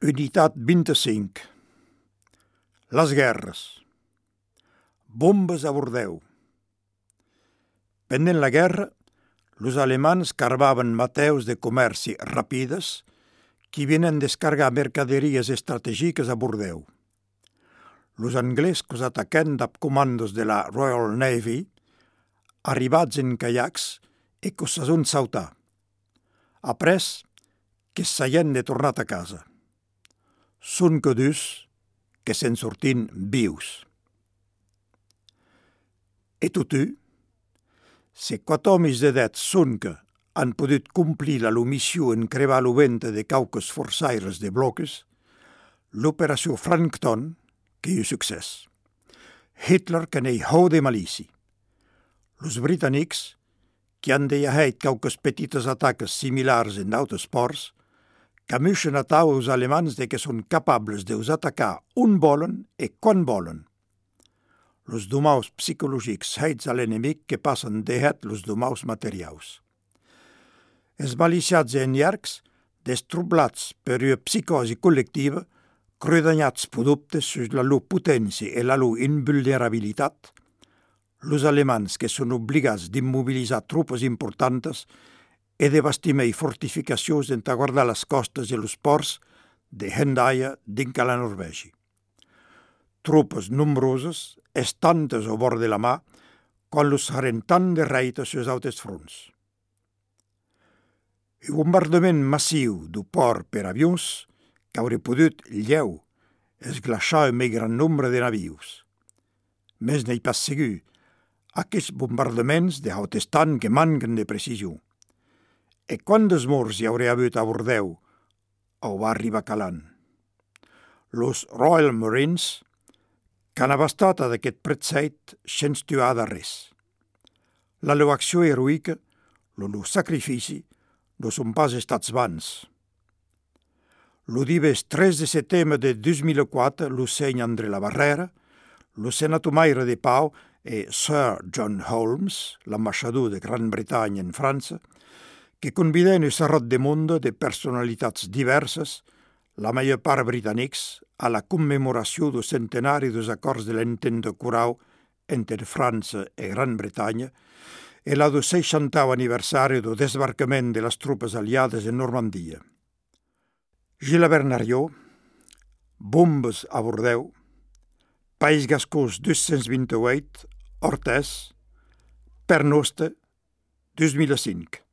Unitat 25. Les guerres. Bombes a Bordeus. Pendent la guerra, los alemans carvaven mateus de comerci rapides que vienen descargar mercaderies estratègiques a Bordeus. Los anglescos ataquen amb comandos de la Royal Navy, arribats en caiacs e que se son sautar. Après, que s'haien de tornar a casa. Són que dus que se'n sortin vius. E totu, se 4 homes d'edat són que han pogut complir la missió en crevar lo ventre de cauques forçaires de bloques, l'operació Frankton, que hi succés. Hitler que n'hi hau de malici. Los britànics, que han deixat cauques petites ataques similars en d'altres ports, camuixen a tau els alemans de que són capables d'us atacar on volen e quan volen. Los domaus psicològics heits a l'enemic que passen deixat los domaus materials. Els maliciats en llargs, destroblats per una psicosi col·lectiva, credanyats per dubtes sus la lor potència e la lor invulnerabilitat, los alemans que són obligats d'immobilitzar tropes importantes e de bastimar fortificacions en guardar les costes i els ports de Hendaia dins la Norvègia. Tropes nombroses, estantes au bord de la mà, quan los haren tant de reita sus altres fronts. El bombardament massiu du port per avions que hauria pogut lleu esglaçar un més gran nombre de navius. Més n'hi pas segur, aquests bombardaments de hautes tant que manquen de precisió. E quantes morts hi hauria hagut a Bordeus au va arribar calant? Los Royal Marines, que han abastat d'aquest pretzeit sense tuar de res. La lor acció heroica, lo lor sacrifici, no són pas estats vans. Lo dives 3 de setembre de 2004, lo seny André la Barrera, lo senatomaire de Pau e Sir John Holmes, l'ambaixador de Gran Bretanya en França, que conviden un serrat de monde de personalitats diverses, la major part britànics, a la commemoració del centenari dels acords de l'entente curau entre França i Gran Bretanya e la del 60è aniversari del desbarcament de les tropes aliades en Normandia. Gilles Bernarió, bombes a Bordeus, País Gascós 228, Ortès, Pernoste, 2005.